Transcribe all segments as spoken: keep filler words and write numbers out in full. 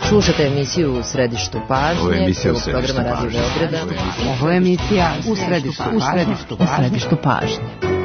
Slušate emisiju U središtu pažnje, prvog programa Radio Beograda. Ovo je emisija U središtu pažnje. U središtu pažnje.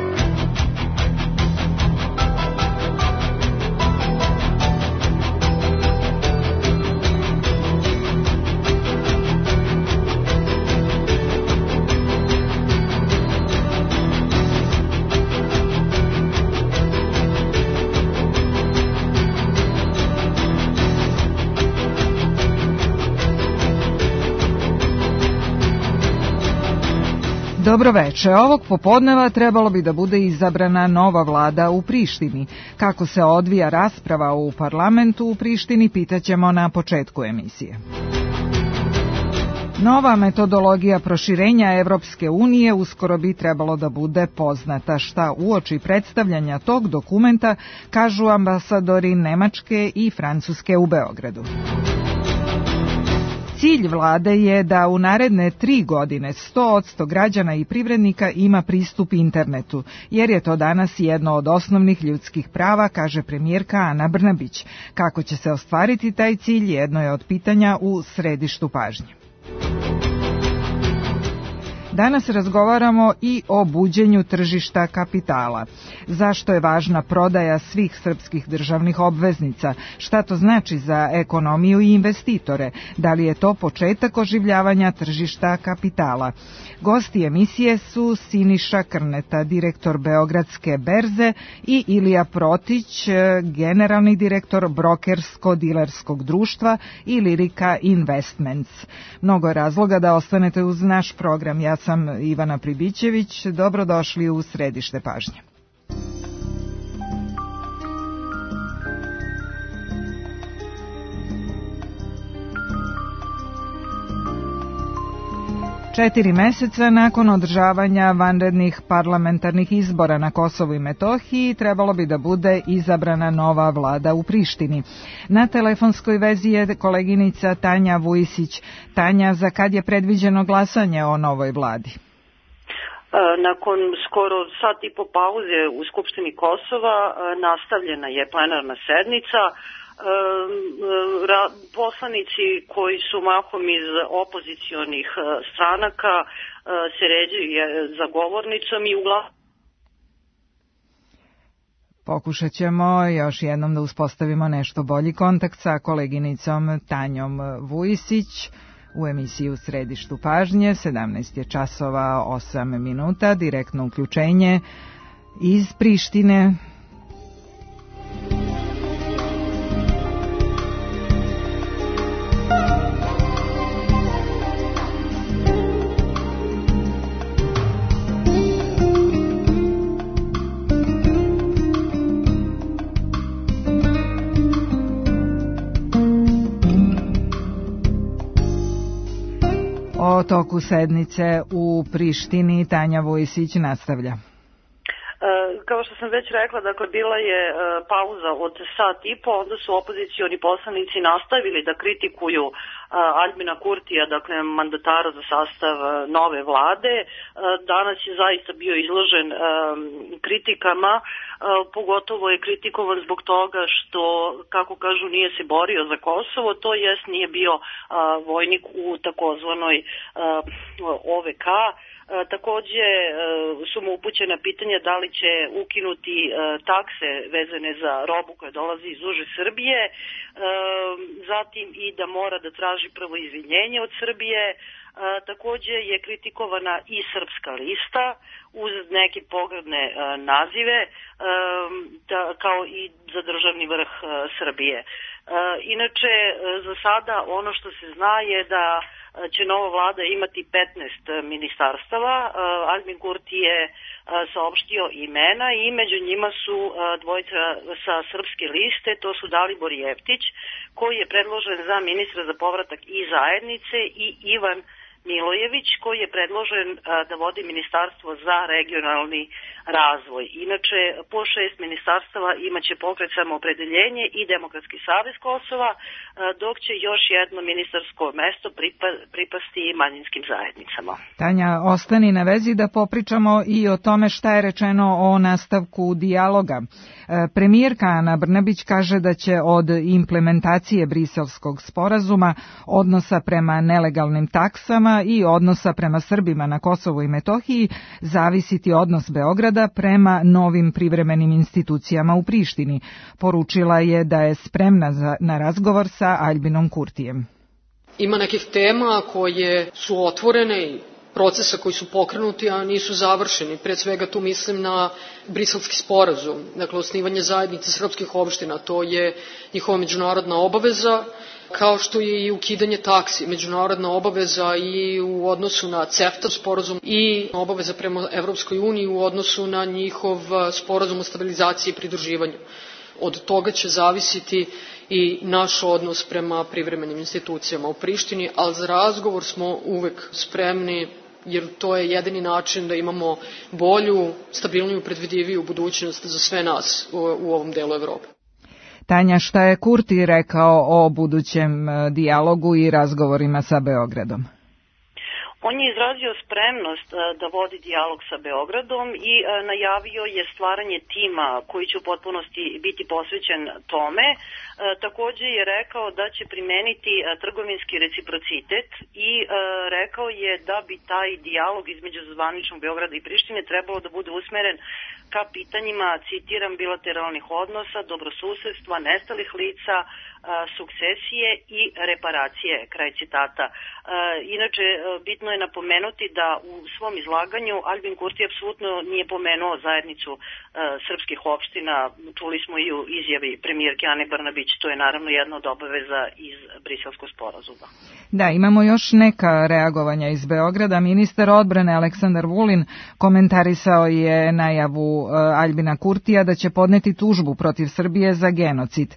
Dobro veče. Ovog popodneva trebalo bi da bude izabrana nova vlada u Prištini. Kako se odvija rasprava u parlamentu u Prištini, pitaćemo na početku emisije. Nova metodologija proširenja Evropske unije uskoro bi trebalo da bude poznata. Šta uoči predstavljanja tog dokumenta kažu ambasadori Nemačke i Francuske u Beogradu. Cilj vlade je da u naredne tri godine sto posto građana i privrednika ima pristup internetu, jer je to danas jedno od osnovnih ljudskih prava, kaže premijerka Ana Brnabić. Kako će se ostvariti taj cilj, jedno je od pitanja u središtu pažnje. Danas razgovaramo i o buđenju tržišta kapitala. Zašto je važna prodaja svih srpskih državnih obveznica? Šta to znači za ekonomiju i investitore? Da li je to početak oživljavanja tržišta kapitala? Gosti emisije su Siniša Krneta, direktor Beogradske berze, i Ilija Protić, generalni direktor brokersko-dilerskog društva i Lirika Investments. Mnogo je razloga da ostanete uz naš program. Ja sam Ivana Pribićević. Dobrodošli u središte pažnje. Četiri meseca nakon održavanja vanrednih parlamentarnih izbora na Kosovu i Metohiji trebalo bi da bude izabrana nova vlada u Prištini. Na telefonskoj vezi je koleginica Tanja Vujisić. Tanja, za kad je predviđeno glasanje o novoj vladi? Nakon skoro sat i po pauze u Skupštini Kosova nastavljena je plenarna sednica. Poslanici koji su mahom iz opozicionih stranaka se ređaju za govornicom i uglavnom. Pokušat ćemo još jednom da uspostavimo nešto bolji kontakt sa koleginicom Tanjom Vujisić u emisiji U središtu pažnje. sedamnaest je časova osam minuta, direktno uključenje iz Prištine. O toku sednice u Prištini Tanja Vujisić nastavlja. Kao što sam već rekla, dakle, bila je pauza od sat i po, onda su opozicioni poslanici nastavili da kritikuju Aljbina Kurtija, dakle, mandatara za sastav nove vlade. Danas je zaista bio izložen kritikama, pogotovo je kritikovan zbog toga što, kako kažu, nije se borio za Kosovo, to jest nije bio vojnik u takozvanoj O V K. Takođe su mu upućena pitanja da li će ukinuti takse vezane za robu koja dolazi iz uže Srbije, zatim i da mora da traži prvo izvinjenje od Srbije. Takođe je kritikovana i Srpska lista uz neke pogrdne nazive, kao i za državni vrh Srbije. Inače, za sada ono što se zna je da će nova vlada imati petnaest ministarstava. Aljbin Kurti je saopštio imena i među njima su dvojica sa srpske liste, to su Dalibor Jeftić, koji je predložen za ministra za povratak i zajednice, i Ivan Milojević, koji je predložen da vodi Ministarstvo za regionalni razvoj. Inače, po šest ministarstava imaće Pokret Samoopredeljenje i Demokratski savez Kosova, dok će još jedno ministarsko mesto pripasti manjinskim zajednicama. Tanja, ostani na vezi da popričamo i o tome šta je rečeno o nastavku dijaloga. Premijerka Ana Brnabić kaže da će od implementacije Briselskog sporazuma, odnosa prema nelegalnim taksama i odnosa prema Srbima na Kosovu i Metohiji zavisiti odnos Beograda prema novim privremenim institucijama u Prištini. Poručila je da je spremna za, na razgovor sa Aljbinom Kurtijem. Ima nekih tema koje su otvorene i procesa koji su pokrenuti, a nisu završeni. Pre svega tu mislim na Briselski sporazum, dakle osnivanje zajednice srpskih opština, to je njihova međunarodna obaveza, kao što je i ukidanje taksi, međunarodna obaveza i u odnosu na CEFTA sporazum i obaveza prema Evropskoj uniji u odnosu na njihov sporazum o stabilizaciji i pridruživanju. Od toga će zavisiti i naš odnos prema privremenim institucijama u Prištini, ali za razgovor smo uvek spremni, jer to je jedini način da imamo bolju, stabilniju, predvidiviju budućnost za sve nas u, u ovom delu Evrope. Tanja, šta je Kurti rekao o budućem dijalogu i razgovorima sa Beogradom? On je izrazio spremnost da vodi dijalog sa Beogradom i najavio je stvaranje tima koji će u potpunosti biti posvećen tome. Takođe je rekao da će primeniti trgovinski reciprocitet i rekao je da bi taj dijalog između zvaničnog Beograda i Prištine trebalo da bude usmeren ka pitanjima, citiram, bilateralnih odnosa, dobrosusedstva, nestalih lica, sukcesije i reparacije, kraj citata. Inače, bitno je napomenuti da u svom izlaganju Aljbin Kurti apsolutno nije pomenuo zajednicu srpskih opština, čuli smo i u izjavi premijerke Ane Brnabić, to je naravno jedna od obaveza iz Briselskog sporazuma. Da, imamo još neka reagovanja iz Beograda. Ministar odbrane Aleksandar Vulin komentarisao je najavu Aljbina Kurtija da će podneti tužbu protiv Srbije za genocid.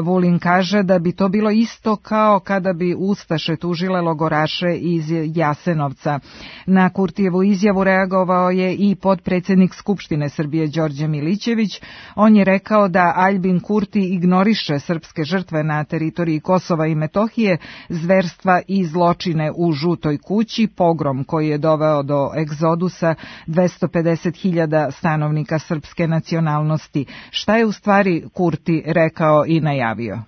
Vulin kaže da bi to bilo isto kao kada bi ustaše tužile logoraše iz Jasenovca. Na Kurtijevu izjavu reagovao je i potpredsednik Skupštine Srbije Đorđe Milićević. On je rekao da Aljbin Kurti ignoriše srpske žrtve na teritoriji Kosova i Metohije, zverstva i zločine u Žutoj kući, pogrom koji je doveo do egzodusa dvesta pedeset hiljada stanovnika srpske nacionalnosti. Šta je u stvari Kurti rekao i najavio?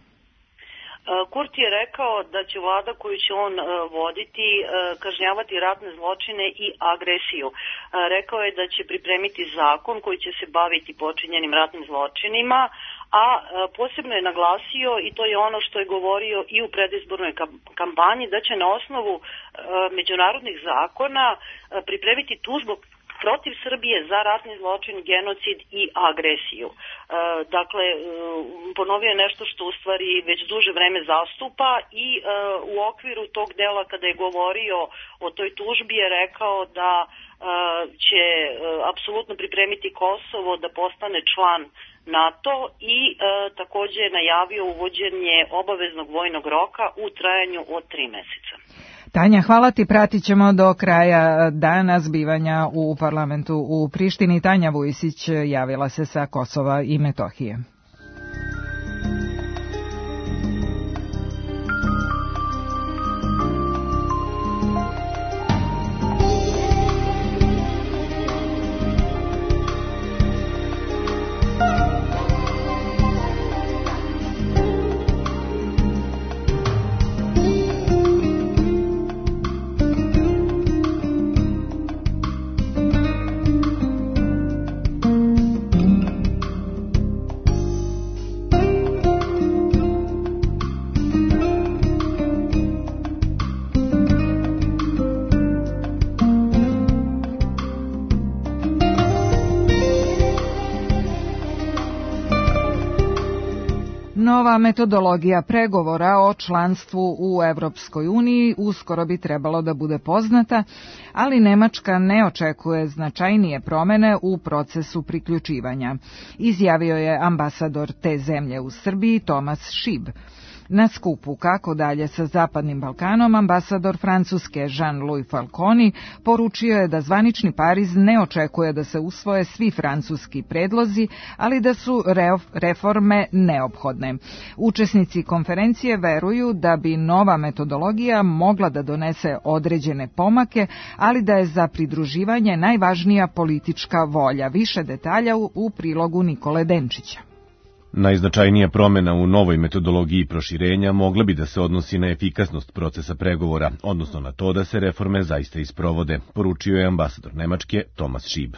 Kurti je rekao da će vlada koju će on voditi kažnjavati ratne zločine i agresiju. Rekao je da će pripremiti zakon koji će se baviti počinjenim ratnim zločinima, a posebno je naglasio, i to je ono što je govorio i u predizbornoj kampanji, da će na osnovu međunarodnih zakona pripremiti tužbu protiv Srbije za ratni zločin, genocid i agresiju. E, dakle, ponovio je nešto što u stvari već duže vreme zastupa i e, u okviru tog dela kada je govorio o toj tužbi je rekao da e, će e, apsolutno pripremiti Kosovo da postane član NATO i e, takođe je najavio uvođenje obaveznog vojnog roka u trajanju od tri meseca. Tanja, hvala ti, pratit ćemo do kraja dana zbivanja u parlamentu u Prištini. Tanja Vujisić javila se sa Kosova i Metohije. Nova metodologija pregovora o članstvu u Evropskoj uniji uskoro bi trebalo da bude poznata, ali Nemačka ne očekuje značajnije promene u procesu priključivanja, izjavio je ambasador te zemlje u Srbiji Tomas Šib. Na skupu Kako dalje sa Zapadnim Balkanom, ambasador Francuske Jean-Louis Falconi poručio je da zvanični Pariz ne očekuje da se usvoje svi francuski predlozi, ali da su reforme neophodne. Učesnici konferencije veruju da bi nova metodologija mogla da donese određene pomake, ali da je za pridruživanje najvažnija politička volja. Više detalja u, u prilogu Nikole Denčića. Najznačajnija promena u novoj metodologiji proširenja mogla bi da se odnosi na efikasnost procesa pregovora, odnosno na to da se reforme zaista isprovode, poručio je ambasador Nemačke Thomas Schieb.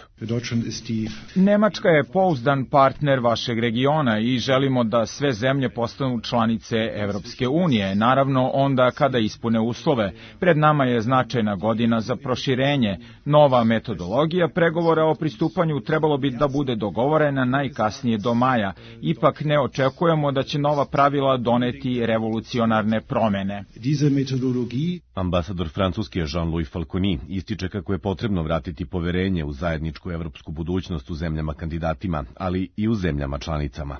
Nemačka je pouzdan partner vašeg regiona i želimo da sve zemlje postanu članice Evropske unije, naravno onda kada ispune uslove. Pred nama je značajna godina za proširenje. Nova metodologija pregovora o pristupanju trebalo bi da bude dogovorena najkasnije do maja. Ipak ne očekujemo da će nova pravila doneti revolucionarne promene. Ambasador Francuske Jean-Louis Falconi ističe kako je potrebno vratiti poverenje u zajedničku evropsku budućnost u zemljama kandidatima, ali i u zemljama članicama.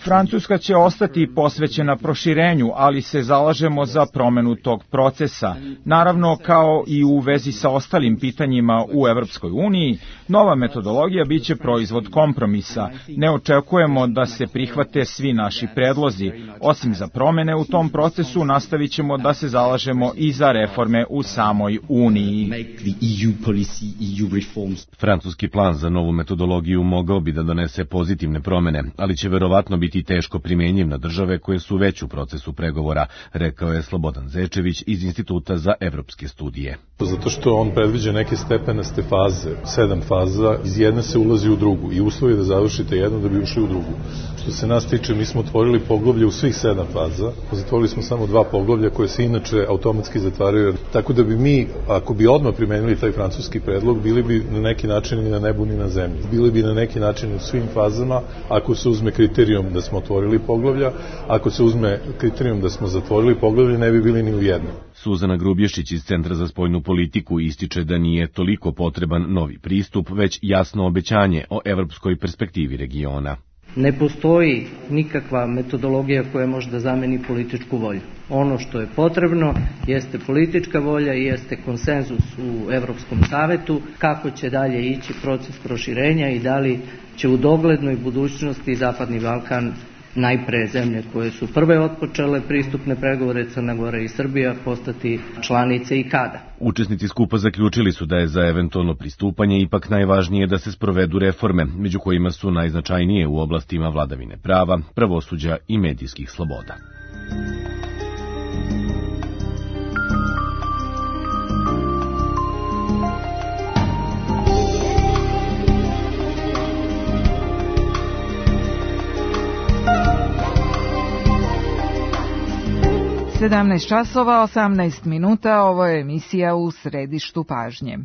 Francuska će ostati posvećena proširenju, ali se zalažemo za promenu tog procesa. Naravno, kao i u vezi sa ostalim pitanjima u Evropskoj uniji, nova metodologija biće proizvod kompromisa. Ne očekujemo da se prihvate svi naši predlozi. Osim za promene u tom procesu, nastavit ćemo da se zalažemo i za reforme u samoj Uniji. Francuski plan za novu metodologiju mogao bi da donese pozitivne promene, ali će verovatno biti biti teško primenjiv na države koje su već u procesu pregovora, rekao je Slobodan Zečević iz Instituta za evropske studije. Zato što on predviđa neke stepenaste faze, sedam faza, iz jedne se ulazi u drugu i uslovi da završite jednu da bi ušli u drugu. Što se nas tiče, mi smo otvorili poglavlje u svih sedam faza, zatvorili smo samo dva poglavlja koje se inače automatski zatvaraju, tako da bi mi, ako bi odmah primenili taj francuski predlog, bili bi na neki način ni na nebu ni na zemlji. Bili bi na neki način u svim fazama, ako se uzme kriterijum da smo otvorili poglavlja, ako se uzme kriterijum da smo zatvorili poglavlje, ne bi bili ni u jednom. Suzana Grubješić iz Centra za spoljnu politiku ističe da nije toliko potreban novi pristup, već jasno obećanje o evropskoj perspektivi regiona. Ne postoji nikakva metodologija koja može da zameni političku volju. Ono što je potrebno jeste politička volja i jeste konsenzus u Evropskom savetu kako će dalje ići proces proširenja i da li će u doglednoj budućnosti Zapadni Balkan, najpre zemlje koje su prve otpočele pristupne pregovore, Crna Gora i Srbija, postati članice i kada. Učesnici skupa zaključili su da je za eventualno pristupanje ipak najvažnije da se sprovedu reforme, među kojima su najznačajnije u oblastima vladavine prava, pravosuđa i medijskih sloboda. sedamnaest časova, osamnaest minuta, ovo je emisija U središtu pažnje.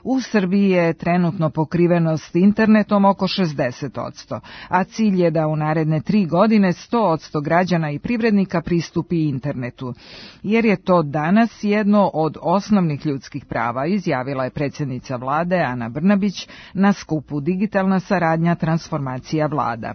U Srbiji je trenutno pokrivenost internetom oko šezdeset posto, a cilj je da u naredne tri godine sto posto građana i privrednika pristupi internetu, jer je to danas jedno od osnovnih ljudskih prava, izjavila je predsjednica vlade Ana Brnabić na skupu Digitalna saradnja, transformacija vlada.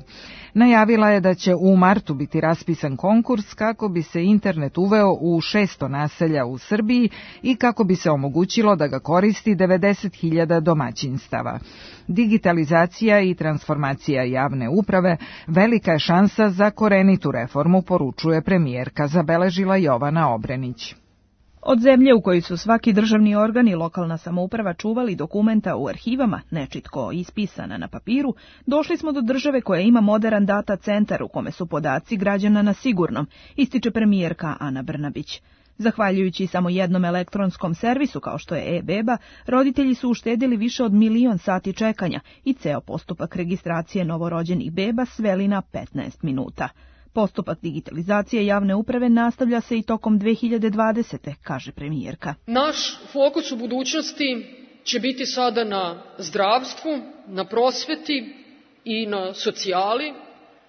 Najavila je da će u martu biti raspisan konkurs kako bi se internet uveo u šesto naselja u Srbiji i kako bi se omogućilo da ga koristi devedeset hiljada domaćinstava. Digitalizacija i transformacija javne uprave velika je šansa za korenitu reformu, poručuje premijerka, zabeležila Jovana Obrenić. Od zemlje u kojoj su svaki državni organ i lokalna samouprava čuvali dokumenta u arhivama, nečitko ispisana na papiru, došli smo do države koja ima moderan data centar u kome su podaci građana na sigurnom, ističe premijerka Ana Brnabić. Zahvaljujući samo jednom elektronskom servisu kao što je e-beba, roditelji su uštedili više od milion sati čekanja i ceo postupak registracije novorođenih beba sveli na petnaest minuta. Postupak digitalizacije javne uprave nastavlja se i tokom dve hiljade dvadesete. kaže premijerka. Naš fokus u budućnosti će biti sada na zdravstvu, na prosveti i na socijali,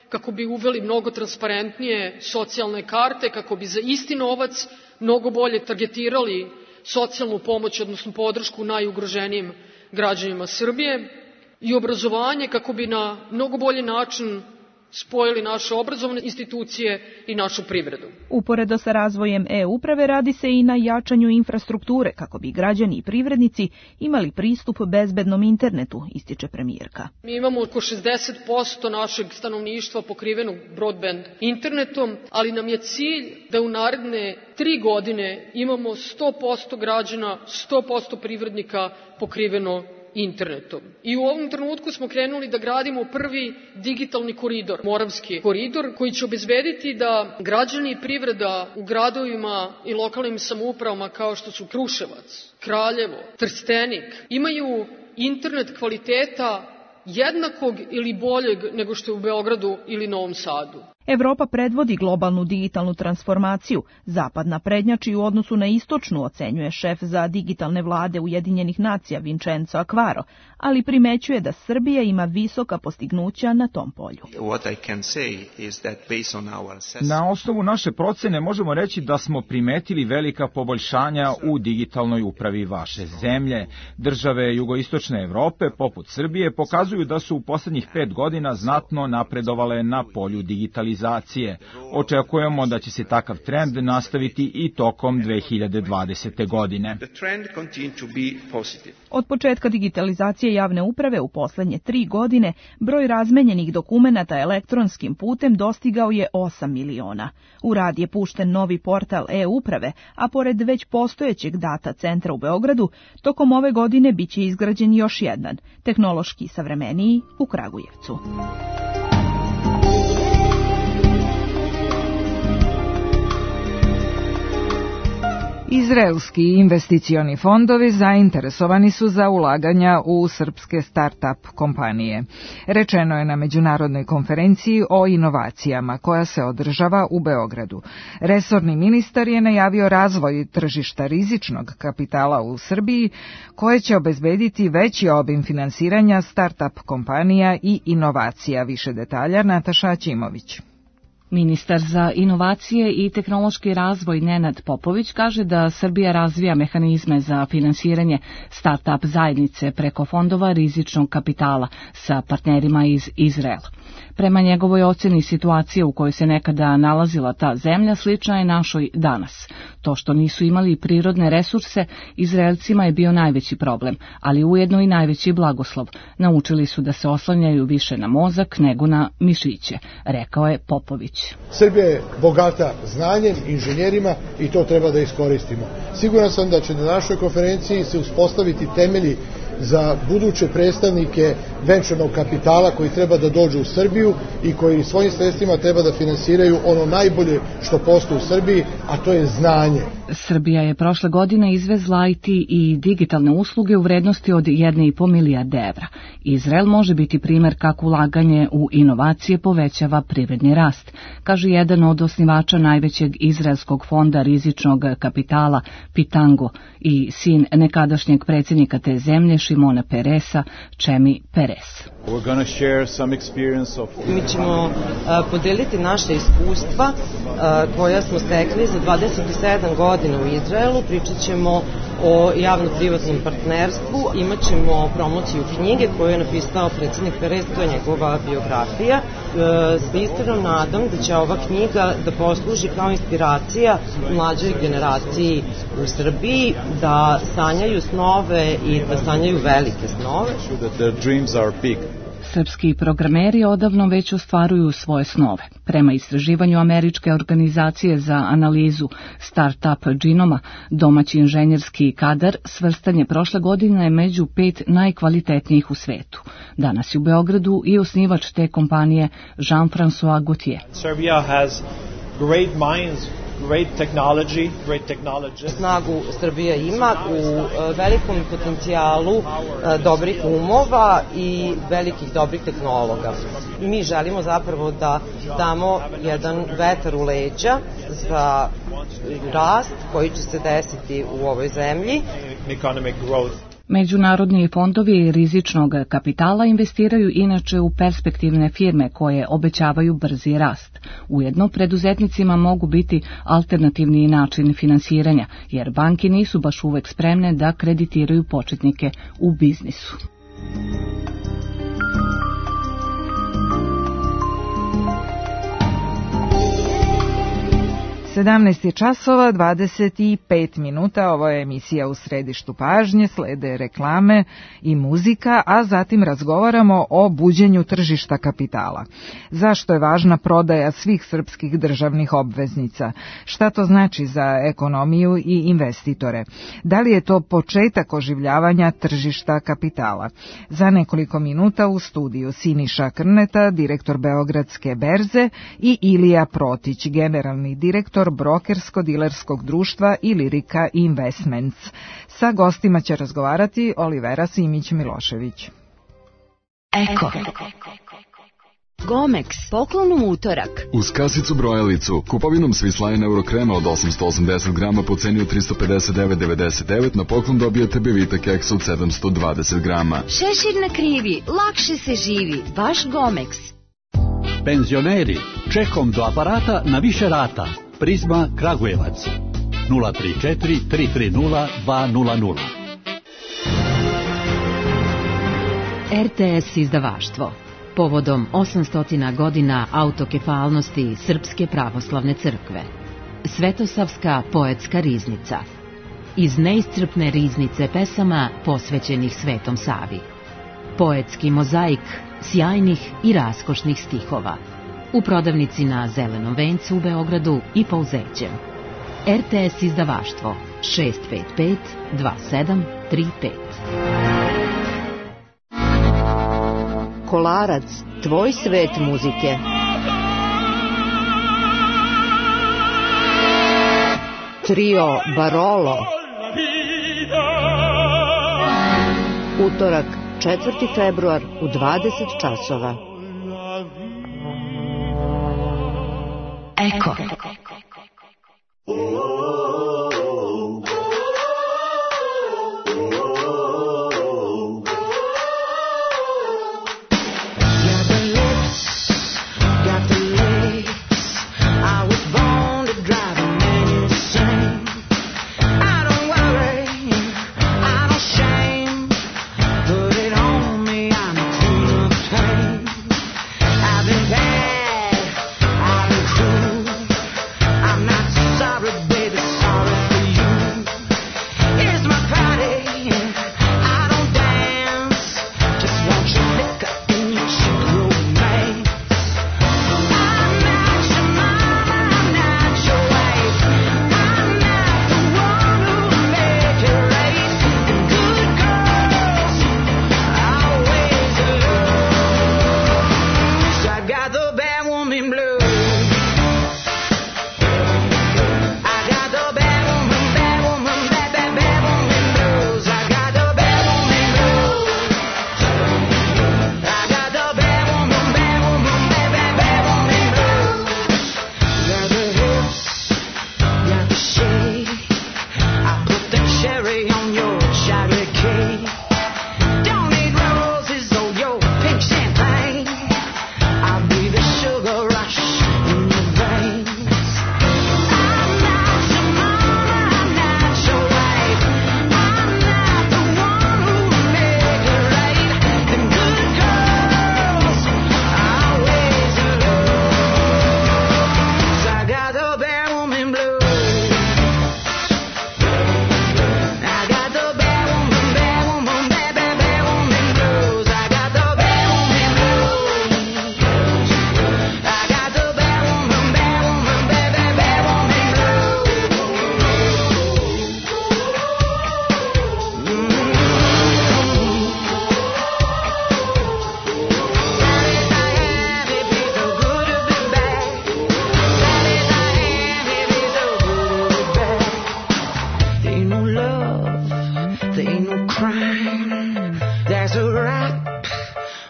kako bi uveli mnogo transparentnije socijalne karte, kako bi za isti novac mnogo bolje targetirali socijalnu pomoć, odnosno podršku najugroženijim građanima Srbije, i obrazovanje, kako bi na mnogo bolji način spojili naše obrazovne institucije i našu privredu. Uporedo sa razvojem e-uprave radi se i na jačanju infrastrukture kako bi građani i privrednici imali pristup bezbednom internetu, ističe premijerka. Mi imamo oko šezdeset posto našeg stanovništva pokrivenog broadband internetom, ali nam je cilj da u naredne tri godine imamo sto posto građana, sto posto privrednika pokriveno internetom. I u ovom trenutku smo krenuli da gradimo prvi digitalni koridor, Moravski koridor, koji će obezbediti da građani i privreda u gradovima i lokalnim samoupravama kao što su Kruševac, Kraljevo, Trstenik, imaju internet kvaliteta jednakog ili boljeg nego što je u Beogradu ili Novom Sadu. Evropa predvodi globalnu digitalnu transformaciju, zapad naprednjači u odnosu na istočnu, ocenjuje šef za digitalne vlade Ujedinjenih nacija Vincenzo Acquaro, ali primećuje da Srbija ima visoka postignuća na tom polju. Na osnovu naše procene možemo reći da smo primetili velika poboljšanja u digitalnoj upravi vaše zemlje. Države jugoistočne Evrope, poput Srbije, pokazuju da su u poslednjih pet godina znatno napredovale na polju digitalizacije. Očekujemo da će se takav trend nastaviti i tokom dve hiljade dvadesete. godine. Od početka digitalizacije javne uprave u poslednje tri godine broj razmenjenih dokumenata elektronskim putem dostigao je osam miliona. U rad je pušten novi portal e-uprave, a pored već postojećeg data centra u Beogradu, tokom ove godine biće izgrađen još jedan, tehnološki savremeniji, u Kragujevcu. Izraelski investicioni fondovi zainteresovani su za ulaganja u srpske start-up kompanije. Rečeno je na međunarodnoj konferenciji o inovacijama koja se održava u Beogradu. Resorni ministar je najavio razvoj tržišta rizičnog kapitala u Srbiji, koje će obezbediti veći obim finansiranja start-up kompanija i inovacija. Više detalja Nataša Ćimović. Ministar za inovacije i tehnološki razvoj Nenad Popović kaže da Srbija razvija mehanizme za finansiranje start-up zajednice preko fondova rizičnog kapitala sa partnerima iz Izraela. Prema njegovoj oceni, situacija u kojoj se nekada nalazila ta zemlja slična je našoj danas. To što nisu imali prirodne resurse, Izraelcima je bio najveći problem, ali ujedno i najveći blagoslov. Naučili su da se oslanjaju više na mozak nego na mišiće, rekao je Popović. Srbija je bogata znanjem, inženjerima i to treba da iskoristimo. Siguran sam da će na našoj konferenciji se uspostaviti temelji za buduće predstavnike venčanog kapitala koji treba da dođu u Srbiju i koji svojim sredstvima treba da finansiraju ono najbolje što postoji u Srbiji, a to je znanje. Srbija je prošle godine izvezla I T i digitalne usluge u vrednosti od jedne i po milijarde evra. Izrael može biti primer kako ulaganje u inovacije povećava privredni rast, kaže jedan od osnivača najvećeg izraelskog fonda rizičnog kapitala Pitango i sin nekadašnjeg predsjednika te zemlje Šimona Peresa, Čemi Peres. Mi ćemo uh, podeliti naše iskustva uh, koja smo stekli za dvadeset sedam godina u Izraelu. Pričat ćemo o javno-privatnom partnerstvu, imat ćemo promociju knjige koju je napisao predsjednik Peres, to je njegova biografija. Uh, s iskrenom nadom da će ova knjiga da posluži kao inspiracija mlađoj generaciji u Srbiji, da sanjaju snove i da sanjaju velike snove. Srpski programeri odavno već ostvaruju svoje snove. Prema istraživanju američke organizacije za analizu start-up džinoma, domaći inženjerski kadar svrstan je prošle godine među pet najkvalitetnijih u svetu. Danas je u Beogradu i osnivač te kompanije Jean-François Gauthier. Serbia has great minds. Great technology, great technology. Snagu Srbija ima u velikom potencijalu dobrih umova i velikih dobrih tehnologa. Mi želimo zapravo da damo jedan vetar u leđa za rast koji će se desiti u ovoj zemlji. Economic growth. Međunarodni fondovi rizičnog kapitala investiraju inače u perspektivne firme koje obećavaju brzi rast. Ujedno, preduzetnicima mogu biti alternativni način finansiranja, jer banke nisu baš uvek spremne da kreditiraju početnike u biznisu. sedamnaest je časova, dvadeset pet minuta, ovo je emisija U središtu pažnje, slede reklame i muzika, a zatim razgovaramo o buđenju tržišta kapitala. Zašto je važna prodaja svih srpskih državnih obveznica? Šta to znači za ekonomiju i investitore? Da li je to početak oživljavanja tržišta kapitala? Za nekoliko minuta u studiju Siniša Krneta, direktor Beogradske berze, i Ilija Protić, generalni direktor brokersko-dilerskog društva Ilirika Investments. Sa gostima će razgovarati Olivera Simić-Milošević. Eko. Gomex, poklon u utorak. Uz kasicu brojalicu, kupovinom Swiss Eurokrema od osamsto osamdeset grama po ceni od tristo pedeset devet devedeset devet na poklon dobijete Bevita keks od sedamsto dvadeset grama. Šešir na krivi, lakše se živi, baš Gomex. Penzioneri, čekom do aparata na više rata. Prizma Kragujevac. nula tri četiri tri tri nula dva nula nula. R T S izdavaštvo. Povodom osamsto godina autokefalnosti Srpske pravoslavne crkve. Svetosavska poetska riznica. Iz neiscrpne riznice pesama posvećenih Svetom Savi. Poetski mozaik sjajnih i raskošnih stihova. U prodavnici na Zelenom vencu u Beogradu i Pouzećem. R T S izdavaštvo šest pet pet dva sedam tri pet. Kolarac, tvoj svet muzike. Trio Barolo. Utorak, četvrti februar u dvadeset časova. Eko.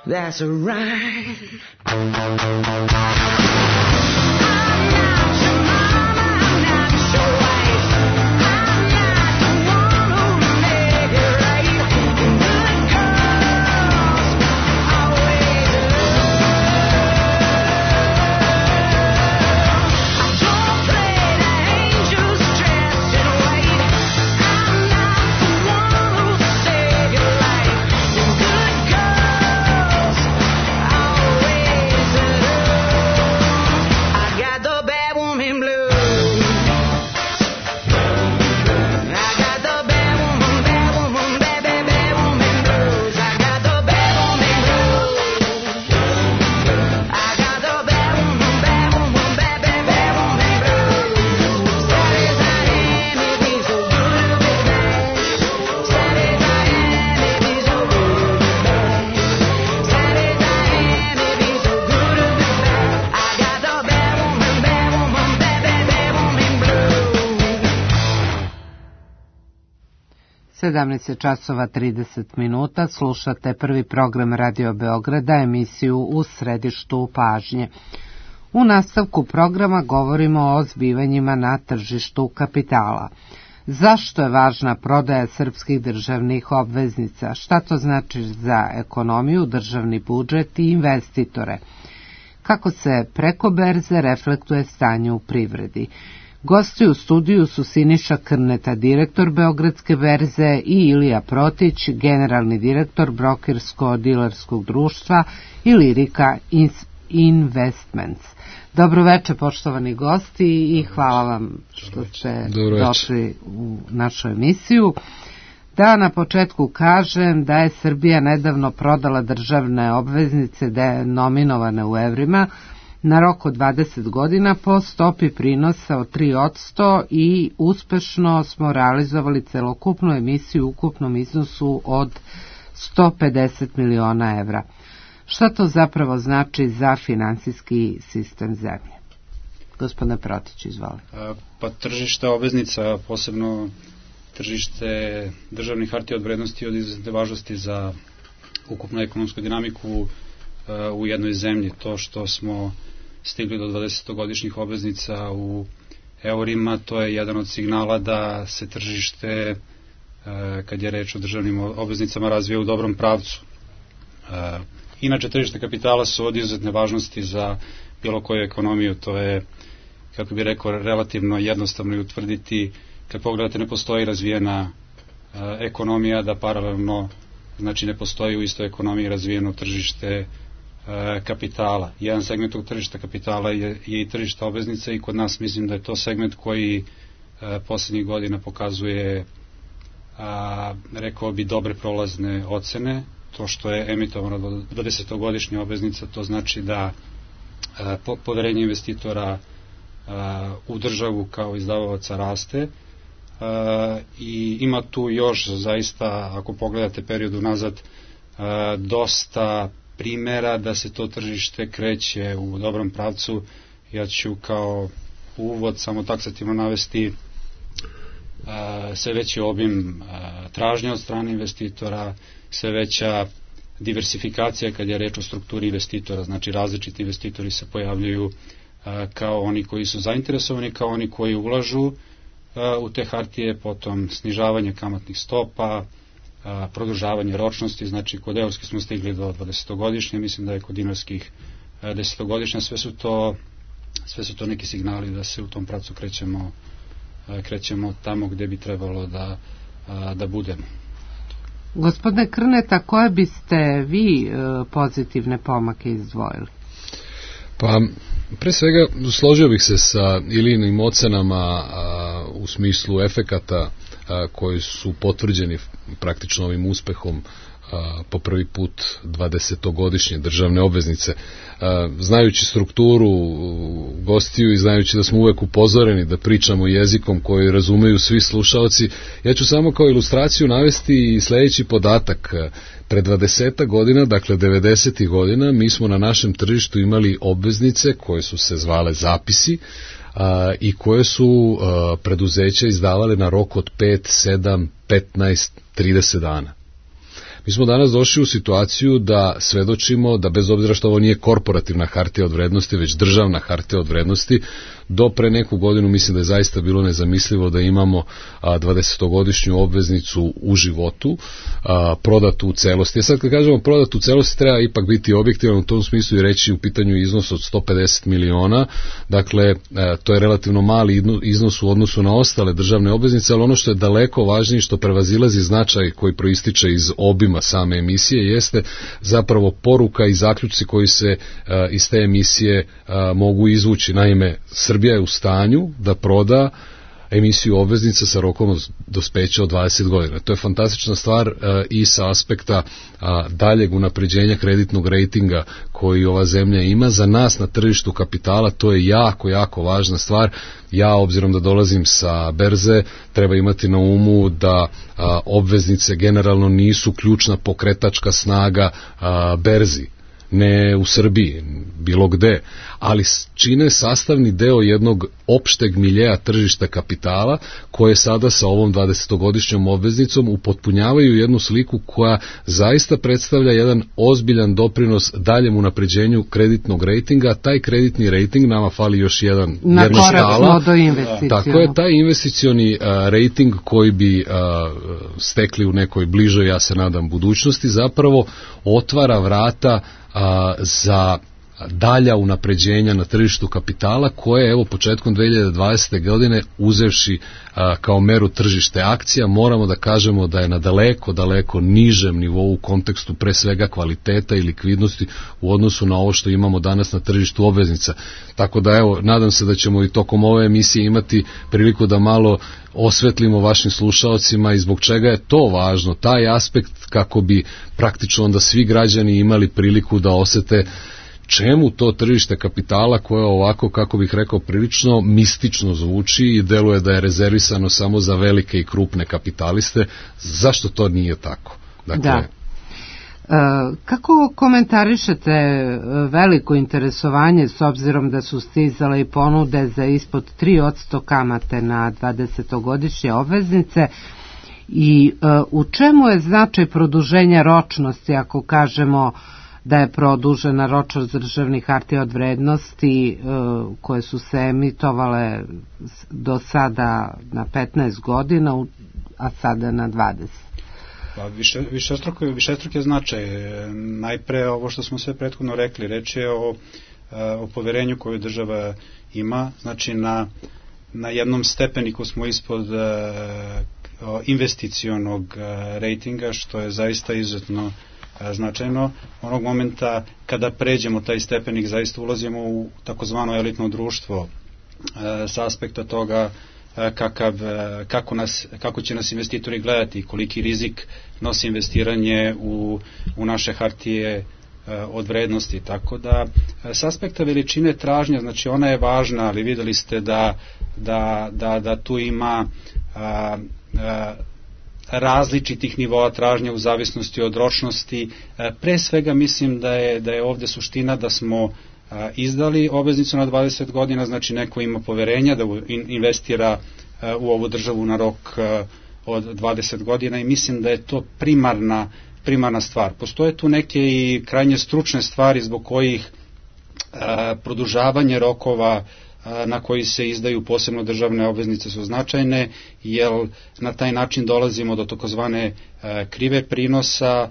That's a rhyme. I sedamnaest časova trideset minuta, slušate prvi program Radio Beograda, emisiju U središtu pažnje. U nastavku programa govorimo o zbivanjima na tržištu kapitala. Zašto je važna prodaja srpskih državnih obveznica? Šta to znači za ekonomiju, državni budžet i investitore? Kako se preko berze reflektuje stanje u privredi? Gosti u studiju su Siniša Krneta, direktor Beogradske berze, i Ilija Protić, generalni direktor brokersko-dilerskog društva Ilirika Investments. Dobroveče, poštovani gosti, i hvala vam što ste došli u našu emisiju. Da na početku kažem da je Srbija nedavno prodala državne obveznice denominovane u evrima na rok od dvadeset godina po stopi prinosa od tri posto i uspešno smo realizovali celokupnu emisiju u ukupnom iznosu od sto pedeset miliona evra. Šta to zapravo znači za finansijski sistem zemlje? Gospodine Protić, izvolite. Pa tržište obveznica, posebno tržište državnih hartija od vrednosti od izuzetne važnosti za ukupnu ekonomsku dinamiku u jednoj zemlji. To što smo stigli do dvadesetogodišnjih obveznica u eurima, to je jedan od signala da se tržište, kad je reč o državnim obveznicama, razvija u dobrom pravcu. Inače, tržište kapitala su od izuzetne važnosti za bilo koju ekonomiju. To je, kako bih rekao, relativno jednostavno i utvrditi. Kad pogledate, ne postoji razvijena ekonomija, da paralelno, znači ne postoji u istoj ekonomiji razvijeno tržište kapitala. Jedan segment tog tržišta kapitala je, je i tržište obveznica, i kod nas mislim da je to segment koji poslednjih godina pokazuje, a, rekao bi, dobre prolazne ocene. To što je emitovano do dvadesetogodišnja obveznica, to znači da a, po, poverenje investitora a, u državu kao izdavalaca raste, a, i ima tu još zaista, ako pogledate period unazad, a, dosta primera da se to tržište kreće u dobrom pravcu. Ja ću kao uvod samo taksativno navesti a, sve veći obim a, tražnje od strane investitora, sve veća diversifikacija kad je reč o strukturi investitora, znači različiti investitori se pojavljuju a, kao oni koji su zainteresovani, kao oni koji ulažu a, u te hartije, potom snižavanje kamatnih stopa, a, produžavanje ročnosti, znači kod eurskih smo stigli do dvadesetogodišnje, mislim da je kod dinarskih desetogodišnja, sve su to sve su to neki signali da se u tom pravcu krećemo a, krećemo tamo gde bi trebalo da, a, da budemo. Gospodine Krneta, koje biste vi pozitivne pomake izdvojili? Pa, pre svega, složio bih se sa Ilijinim ocenama a, u smislu efekata a, koji su potvrđeni praktično ovim uspehom a, po prvi put dvadesetogodišnje državne obveznice. A, znajući strukturu gostiju i znajući da smo uvek upozoreni da pričamo jezikom koji razumeju svi slušalci, ja ću samo kao ilustraciju navesti i sledeći podatak. Pre dvadeset godina, dakle devedesetih godina, mi smo na našem tržištu imali obveznice koje su se zvale zapisi a, i koje su a, preduzeća izdavale na rok od pet, sedam, petnaest, trideset dana. Mi smo danas došli u situaciju da svedočimo da, bez obzira što ovo nije korporativna hartija od vrednosti, već državna hartija od vrednosti, do pre neku godinu mislim da je zaista bilo nezamislivo da imamo dvadesetogodišnju obveznicu u životu, a, prodatu u celosti. Ja sad kad kažemo prodatu u celosti, treba ipak biti objektivan u tom smislu i reći u pitanju iznos od sto pedeset miliona, dakle a, to je relativno mali iznos u odnosu na ostale državne obveznice, ali ono što je daleko važnije, što prevazilazi značaj koji proističe iz obima same emisije, jeste zapravo poruka i zaključci koji se a, iz te emisije a, mogu izvući. Naime, Srbija je u stanju da proda emisiju obveznica sa rokom dospeća od dvadeset godina. To je fantastična stvar a, i sa aspekta a, daljeg unapređenja kreditnog rejtinga koji ova zemlja ima. Za nas na tržištu kapitala to je jako, jako važna stvar. Ja, obzirom da dolazim sa berze, treba imati na umu da a, obveznice generalno nisu ključna pokretačka snaga a, berzi. ne u Srbiji, bilo gde, ali čine sastavni deo jednog opšteg miljeja tržišta kapitala koje sada sa ovom dvadesetogodišnjom obveznicom upotpunjavaju jednu sliku koja zaista predstavlja jedan ozbiljan doprinos daljem unapređenju kreditnog rejtinga. Taj kreditni rejting, nama fali još jedan, na jedna skala. Do investicionu. Tako je, taj investicioni a, rejting koji bi a, stekli u nekoj bližoj, ja se nadam, budućnosti, zapravo otvara vrata a, za dalja unapređenja na tržištu kapitala koje evo početkom dve hiljade dvadesete. godine uzevši a, kao meru tržište akcija, moramo da kažemo da je na daleko, daleko nižem nivou u kontekstu pre svega kvaliteta i likvidnosti u odnosu na ovo što imamo danas na tržištu obveznica. Tako da evo, nadam se da ćemo i tokom ove emisije imati priliku da malo osvetlimo vašim slušaocima i zbog čega je to važno, taj aspekt, kako bi praktično onda svi građani imali priliku da osete čemu to tržište kapitala koje ovako, kako bih rekao, prilično mistično zvuči i deluje da je rezervisano samo za velike i krupne kapitaliste, zašto to nije tako? Dakle, da. E, kako komentarišete veliko interesovanje s obzirom da su stizale i ponude za ispod tri posto kamate na dvadesetogodišnje obveznice i e, u čemu je značaj produženja ročnosti ako kažemo da je produžena ročnost državnih hartija od vrednosti e, koje su se emitovale do sada na petnaest godina, a sada na dvadeset? Pa više, višestruko, višestruk je značaj. Najpre ovo što smo sve prethodno rekli, reč je o, o poverenju koju država ima, znači na, na jednom stepeniku smo ispod investicionog rejtinga, što je zaista izuzetno značajno. Onog momenta kada pređemo taj stepenik, zaista ulazimo u takozvano elitno društvo sa aspekta toga kakav, kako, nas, kako će nas investitori gledati, koliki rizik nosi investiranje u, u naše hartije od vrednosti. Tako da s aspekta veličine tražnja, znači ona je važna, ali videli ste da, da, da, da tu ima a, a, različitih nivoa tražnje u zavisnosti od ročnosti. Pre svega mislim da je, da je ovde suština da smo izdali obveznicu na dvadeset godina, znači neko ima poverenja da investira u ovu državu na rok od dvadeset godina i mislim da je to primarna, primarna stvar. Postoje tu neke i krajnje stručne stvari zbog kojih produžavanje rokova na koji se izdaju posebno državne obveznice su značajne, jer na taj način dolazimo do takozvane krive prinosa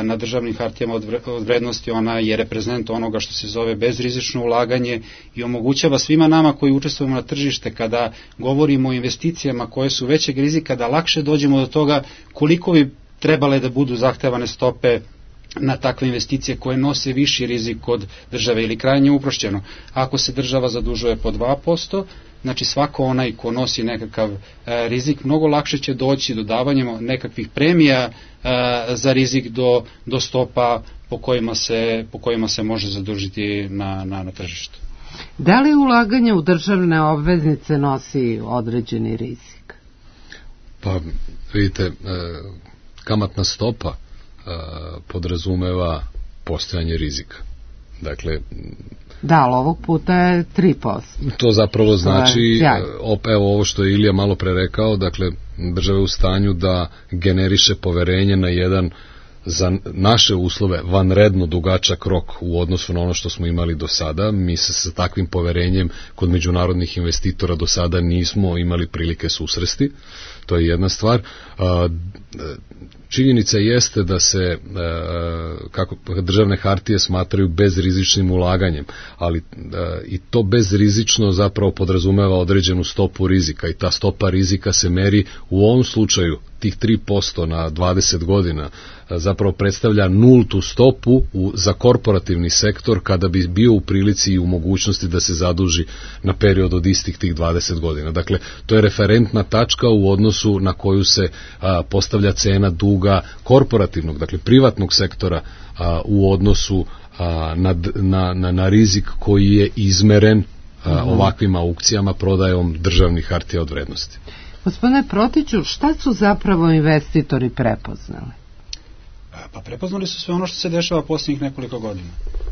na državnim hartijama od vrednosti. Ona je reprezent onoga što se zove bezrizično ulaganje i omogućava svima nama koji učestvujemo na tržište kada govorimo o investicijama koje su većeg rizika da lakše dođemo do toga koliko bi trebale da budu zahtevane stope na takve investicije koje nose viši rizik od države ili krajnje uprošćeno. Ako se država zadužuje po dva posto, znači svako onaj ko nosi nekakav e, rizik mnogo lakše će doći dodavanjem nekakvih premija e, za rizik do, do stopa po kojima, se, po kojima se može zadužiti na, na, na tržištu. Da li ulaganje u državne obveznice nosi određeni rizik? Pa vidite, e, kamatna stopa podrazumeva postojanje rizika. Dakle, da, ali ovog puta je tri posto. To zapravo znači, op, evo ovo što je Ilija malo pre rekao, dakle, država je u stanju da generiše poverenje na jedan za naše uslove vanredno dugačak rok u odnosu na ono što smo imali do sada. Mi se sa takvim poverenjem kod međunarodnih investitora do sada nismo imali prilike susresti. To je jedna stvar. Činjenica jeste da se kako državne hartije smatraju bezrizičnim ulaganjem, ali i to bezrizično zapravo podrazumeva određenu stopu rizika i ta stopa rizika se meri u ovom slučaju tih tri posto na dvadeset godina zapravo predstavlja nultu stopu u, za korporativni sektor kada bi bio u prilici i u mogućnosti da se zaduži na period od istih tih dvadeset godina. Dakle, to je referentna tačka u odnosu na koju se a, postavlja cena duga korporativnog, dakle privatnog sektora a, u odnosu a, na, na, na, na rizik koji je izmeren a, ovakvim aukcijama prodajom državnih hartija od vrednosti. Gospodine Protiću, šta su zapravo investitori prepoznali? Pa prepoznali su sve ono što se dešava posljednjih nekoliko godina.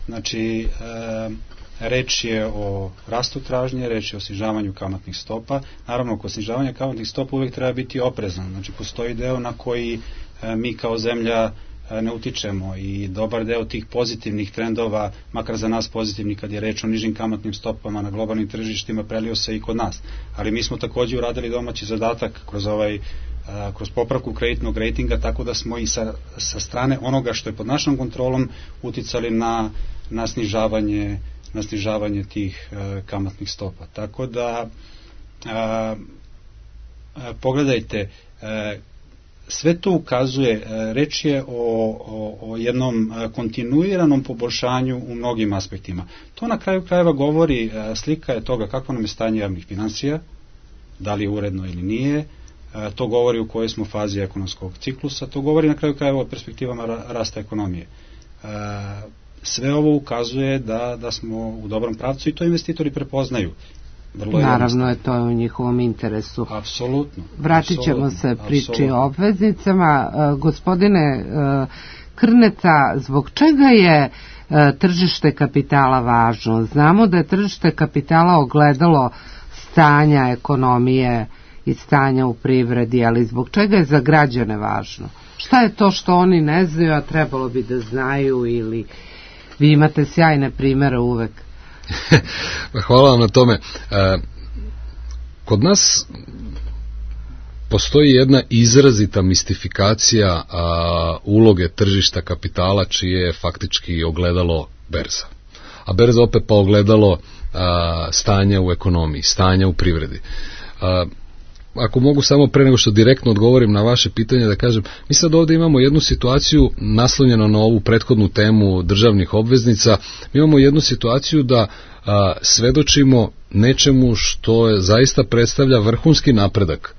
Znači, e, reč je o rastu tražnje, reč je o snižavanju kamatnih stopa. Naravno, kod snižavanja kamatnih stopa uvijek treba biti oprezan. Znači, postoji deo na koji e, mi kao zemlja e, ne utičemo i dobar deo tih pozitivnih trendova, makar za nas pozitivni kad je reč o nižim kamatnim stopama na globalnim tržištima, prelio se i kod nas. Ali mi smo također uradili domaći zadatak kroz ovaj kroz popravku kreditnog rejtinga, tako da smo i sa, sa strane onoga što je pod našom kontrolom uticali na, na snižavanje na snižavanje tih uh, kamatnih stopa. Tako da uh, uh, pogledajte, uh, sve to ukazuje, uh, reč je o, o, o jednom uh, kontinuiranom poboljšanju u mnogim aspektima. To na kraju krajeva govori, uh, slika je toga kako nam je stanje javnih financija, da li je uredno ili nije, to govori u kojoj smo fazi ekonomskog ciklusa, to govori na kraju krajeva o perspektivama rasta ekonomije. Sve ovo ukazuje da, da smo u dobrom pravcu i to investitori prepoznaju. Vrlo Naravno je to u njihovom interesu. Apsolutno. Vratit ćemo se priči o obveznicama. Gospodine Krneca, zbog čega je tržište kapitala važno? Znamo da je tržište kapitala ogledalo stanja ekonomije i stanja u privredi, ali zbog čega je za građane važno? Šta je to što oni ne znaju, a trebalo bi da znaju, ili vi imate sjajne primere uvek? Hvala vam na tome. Kod nas postoji jedna izrazita mistifikacija uloge tržišta kapitala, čije je faktički ogledalo berza. A berza opet pa ogledalo stanja u ekonomiji, stanja u privredi. Ako mogu samo pre nego što direktno odgovorim na vaše pitanje da kažem, mi sad ovdje imamo jednu situaciju naslonjeno na ovu prethodnu temu državnih obveznica, mi imamo jednu situaciju da a, svedočimo nečemu što je, zaista predstavlja vrhunski napredak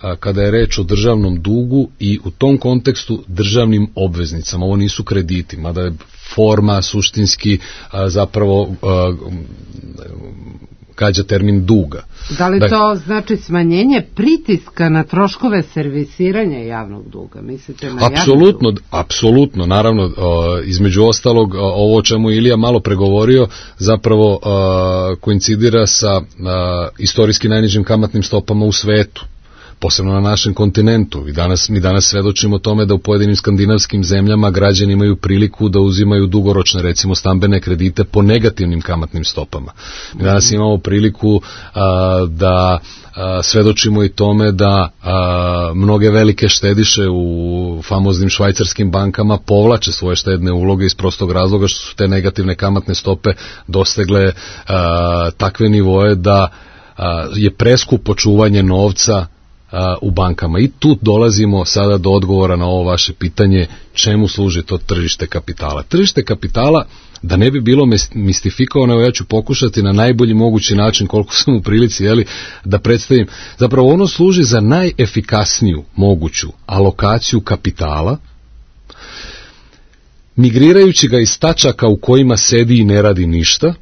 a, kada je reč o državnom dugu i u tom kontekstu državnim obveznicama. Ovo nisu krediti, mada je forma suštinski a, zapravo a, gađa termin duga. Da li to znači smanjenje pritiska na troškove servisiranja javnog duga? Mislite na apsolutno, apsolutno, naravno, između ostalog, ovo o čemu Ilija malo pregovorio, zapravo koincidira sa istorijski najnižim kamatnim stopama u svetu, posebno na našem kontinentu. I danas, mi danas svedočimo tome da u pojedinim skandinavskim zemljama građani imaju priliku da uzimaju dugoročne, recimo stambene kredite po negativnim kamatnim stopama. Mi danas imamo priliku a, da a, svedočimo i tome da a, mnoge velike štediše u famoznim švajcarskim bankama povlače svoje štedne uloge iz prostog razloga što su te negativne kamatne stope dostegle a, takve nivoje da a, je preskupo čuvanje novca u bankama. I tu dolazimo sada do odgovora na ovo vaše pitanje, čemu služi to tržište kapitala. Tržište kapitala, da ne bi bilo mistifikovano, ja ću pokušati na najbolji mogući način, koliko sam u prilici, jeli, da predstavim. Zapravo ono služi za najefikasniju moguću alokaciju kapitala, migrirajući ga iz tačaka u kojima sedi i ne radi ništa,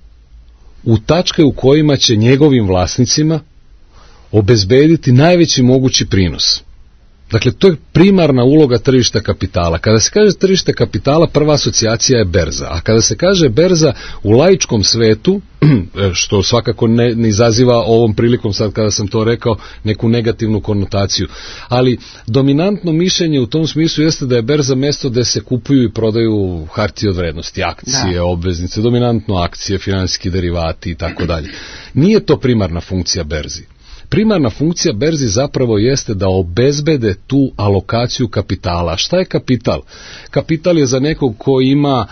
u tačke u kojima će njegovim vlasnicima obezbediti najveći mogući prinos. Dakle, to je primarna uloga tržišta kapitala. Kada se kaže tržište kapitala, prva asocijacija je berza. A kada se kaže berza u laičkom svetu, što svakako ne, ne izaziva ovom prilikom, sad kada sam to rekao, neku negativnu konotaciju. Ali dominantno mišljenje u tom smislu jeste da je berza mjesto gde se kupuju i prodaju hartije od vrednosti, akcije, da. obveznice, dominantno akcije, finansijski derivati i tako dalje. Nije to primarna funkcija berzi. Primarna funkcija berzi zapravo jeste da obezbede tu alokaciju kapitala. Šta je kapital? Kapital je za nekog ko ima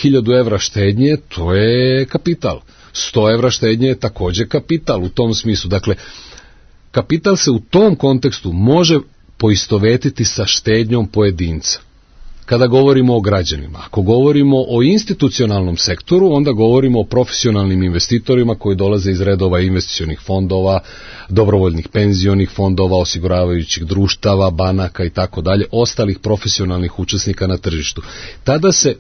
hiljadu evra štednje, to je kapital. sto evra štednje je također kapital u tom smislu. Dakle, kapital se u tom kontekstu može poistovetiti sa štednjom pojedinca. Kada govorimo o građanima, ako govorimo o institucionalnom sektoru, onda govorimo o profesionalnim investitorima koji dolaze iz redova investicionih fondova, dobrovoljnih penzionih fondova, osiguravajućih društava, banaka i tako dalje, ostalih profesionalnih učesnika na tržištu. Tada se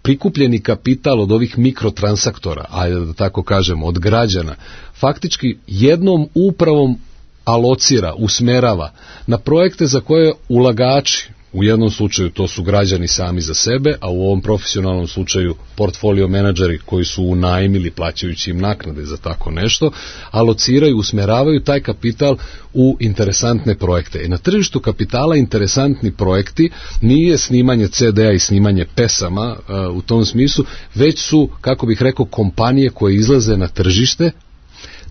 prikupljeni kapital od ovih mikrotransaktora, ajde da tako kažemo, od građana, faktički jednom upravom alocira, usmerava na projekte za koje ulagači, U jednom slučaju to su građani sami za sebe, a u ovom profesionalnom slučaju portfolio menadžeri koji su unajmili plaćajući im naknade za tako nešto, alociraju, usmeravaju taj kapital u interesantne projekte. E na tržištu kapitala interesantni projekti nije snimanje ce de a i snimanje pesama uh, u tom smislu, već su, kako bih rekao, kompanije koje izlaze na tržište,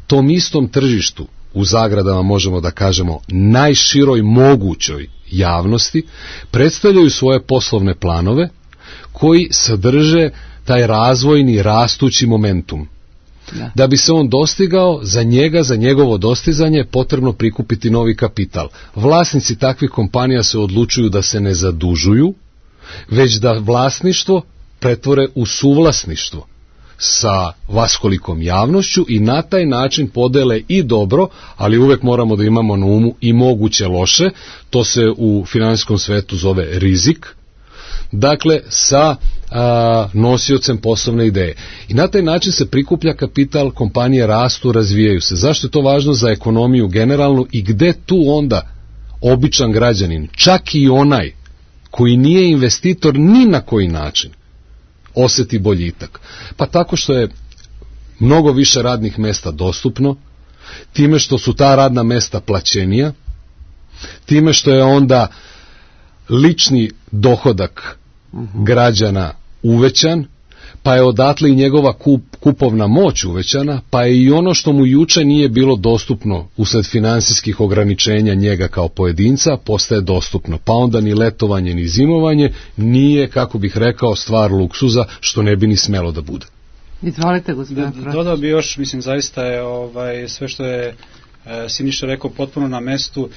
tom istom tržištu, u zagradama možemo da kažemo najširoj mogućoj javnosti, predstavljaju svoje poslovne planove koji sadrže taj razvojni rastući momentum. Da. Da bi se on dostigao, za njega, za njegovo dostizanje potrebno prikupiti novi kapital. Vlasnici takvih kompanija se odlučuju da se ne zadužuju, već da vlasništvo pretvore u suvlasništvo sa vaskolikom javnošću i na taj način podele i dobro, ali uvek moramo da imamo na umu i moguće loše, to se u finansijskom svetu zove rizik, dakle sa a, nosiocem poslovne ideje. I na taj način se prikuplja kapital, kompanije rastu, razvijaju se. Zašto je to važno za ekonomiju generalnu i gde tu onda običan građanin, čak i onaj koji nije investitor ni na koji način, oseti boljitak? Pa tako što je mnogo više radnih mesta dostupno, time što su ta radna mesta plaćenija, time što je onda lični dohodak građana uvećan, pa je odatle i njegova kup, kupovna moć uvećana, pa je i ono što mu juče nije bilo dostupno usled finansijskih ograničenja njega kao pojedinca, postaje dostupno. Pa onda ni letovanje, ni zimovanje nije, kako bih rekao, stvar luksuza, što ne bi ni smelo da bude. Izvolite, gospodine Protić. Dodao bi još, mislim, zaista je ovaj, sve što je e, Siniša rekao potpuno na mestu.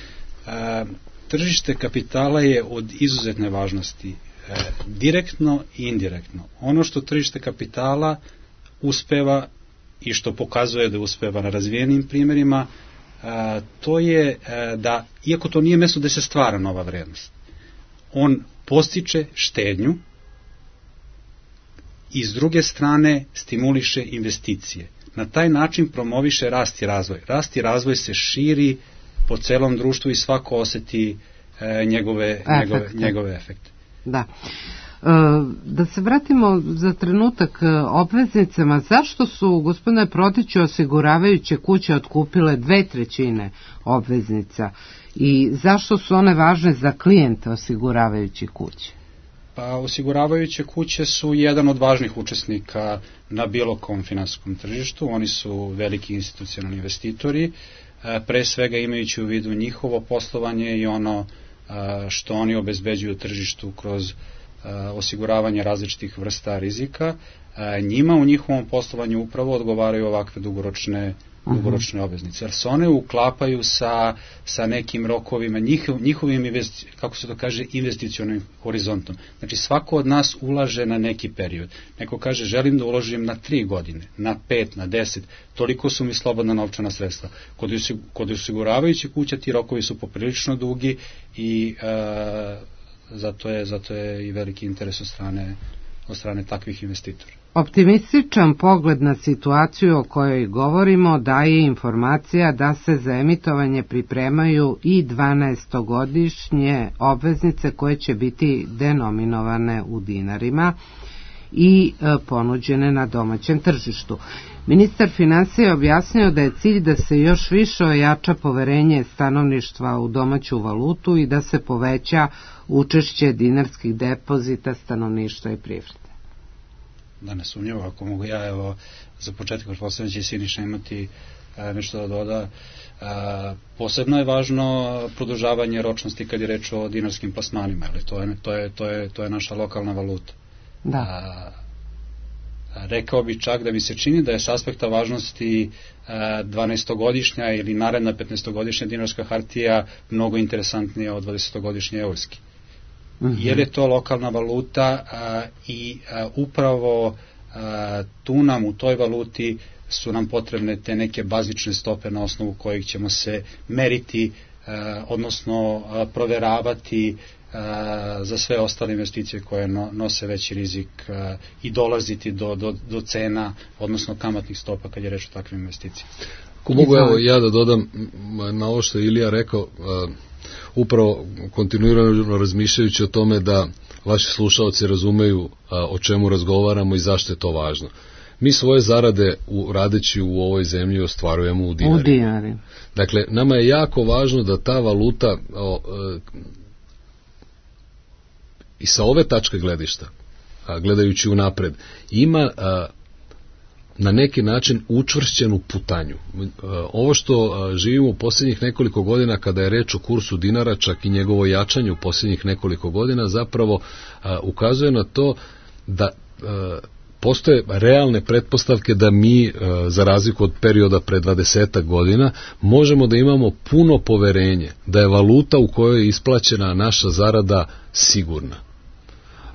E, tržište kapitala je od izuzetne važnosti. E, direktno i indirektno. Ono što tržište kapitala uspeva i što pokazuje da uspeva na razvijenim primjerima, e, to je e, da, iako to nije mesto gde se stvara nova vrednost, on postiče štednju i s druge strane stimuliše investicije. Na taj način promoviše rast i razvoj. Rast i razvoj se širi po celom društvu i svako oseti e, njegove, njegove, njegove efekte. Da. Da se vratimo za trenutak obveznicama. Zašto su, gospodine Protiću, osiguravajuće kuće otkupile dve trećine obveznica i zašto su one važne za klijente osiguravajućih kuće? Pa osiguravajuće kuće su jedan od važnih učesnika na bilo kom finansijskom tržištu. Oni su veliki institucionalni investitori, pre svega imajući u vidu njihovo poslovanje i ono što oni obezbeđuju tržištu kroz osiguravanje različitih vrsta rizika. Njima u njihovom poslovanju upravo odgovaraju ovakve dugoročne dugoročne obveznice, jer se one uklapaju sa, sa nekim rokovima, njihov, njihovim, investi, kako se to kaže, investicionim horizontom. Znači svako od nas ulaže na neki period. Neko kaže želim da uložim na tri godine, na pet, na deset, toliko su mi slobodna novčana sredstva. Kod, kod osiguravajuće kuća ti rokovi su poprilično dugi i e, zato, je, zato je i veliki interes od strane, od strane takvih investitora. Optimističan pogled na situaciju o kojoj govorimo daje informacija da se za emitovanje pripremaju i dvanaestogodišnje obveznice koje će biti denominovane u dinarima i ponuđene na domaćem tržištu. Ministar finansija je objasnio da je cilj da se još više ojača poverenje stanovništva u domaću valutu i da se poveća učešće dinarskih depozita stanovništva i privrede. Da ne sumnjivo, ako mogu ja, evo, za početak, pretpostavljam će Siniša imati e, nešto da doda. E, posebno je važno produžavanje ročnosti kad je reč o dinarskim plasmanima, ali to je, to je, to je, to je naša lokalna valuta. Da. A, rekao bi čak da mi se čini da je s aspekta važnosti dvanaestogodišnja ili naredna petnaestogodišnja dinarska hartija mnogo interesantnija od dvadesetogodišnje eurske. Jer je to lokalna valuta a, i a, upravo a, tu nam u toj valuti su nam potrebne te neke bazične stope na osnovu kojih ćemo se meriti, a, odnosno a, proveravati a, za sve ostale investicije koje no, nose veći rizik a, i dolaziti do, do, do cena, odnosno kamatnih stopa kad je reč o takvim investicijama. Ako mogu evo ja da dodam na ovo što je Ilija rekao, a, upravo kontinuirano razmišljajući o tome da vaši slušaoci razumeju a, o čemu razgovaramo i zašto je to važno. Mi svoje zarade u, radeći u ovoj zemlji ostvarujemo u dinari. U dinari. Dakle, nama je jako važno da ta valuta o, e, i sa ove tačke gledišta, a, gledajući unapred, ima a, na neki način učvršćenu putanju. Ovo što živimo u posljednjih nekoliko godina kada je reč o kursu dinara, čak i njegovo jačanje u posljednjih nekoliko godina, zapravo ukazuje na to da postoje realne pretpostavke da mi, za razliku od perioda pre dvadesetak godina, možemo da imamo puno poverenje da je valuta u kojoj je isplaćena naša zarada sigurna.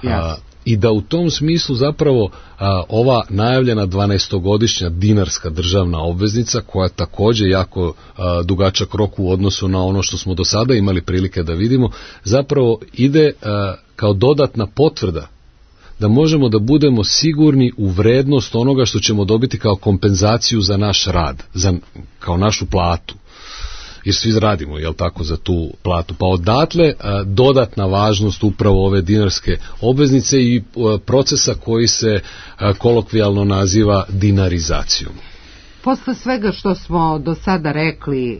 Yes. I da u tom smislu zapravo a, ova najavljena dvanaestogodišnja dinarska državna obveznica, koja također jako a, dugačak rok u odnosu na ono što smo do sada imali prilike da vidimo, zapravo ide a, kao dodatna potvrda da možemo da budemo sigurni u vrednost onoga što ćemo dobiti kao kompenzaciju za naš rad, za, kao našu platu. Jer svi radimo, jel tako, za tu platu. Pa odatle a, dodatna važnost upravo ove dinarske obveznice i a, procesa koji se a, kolokvijalno naziva dinarizacijom. Posle svega što smo do sada rekli, e,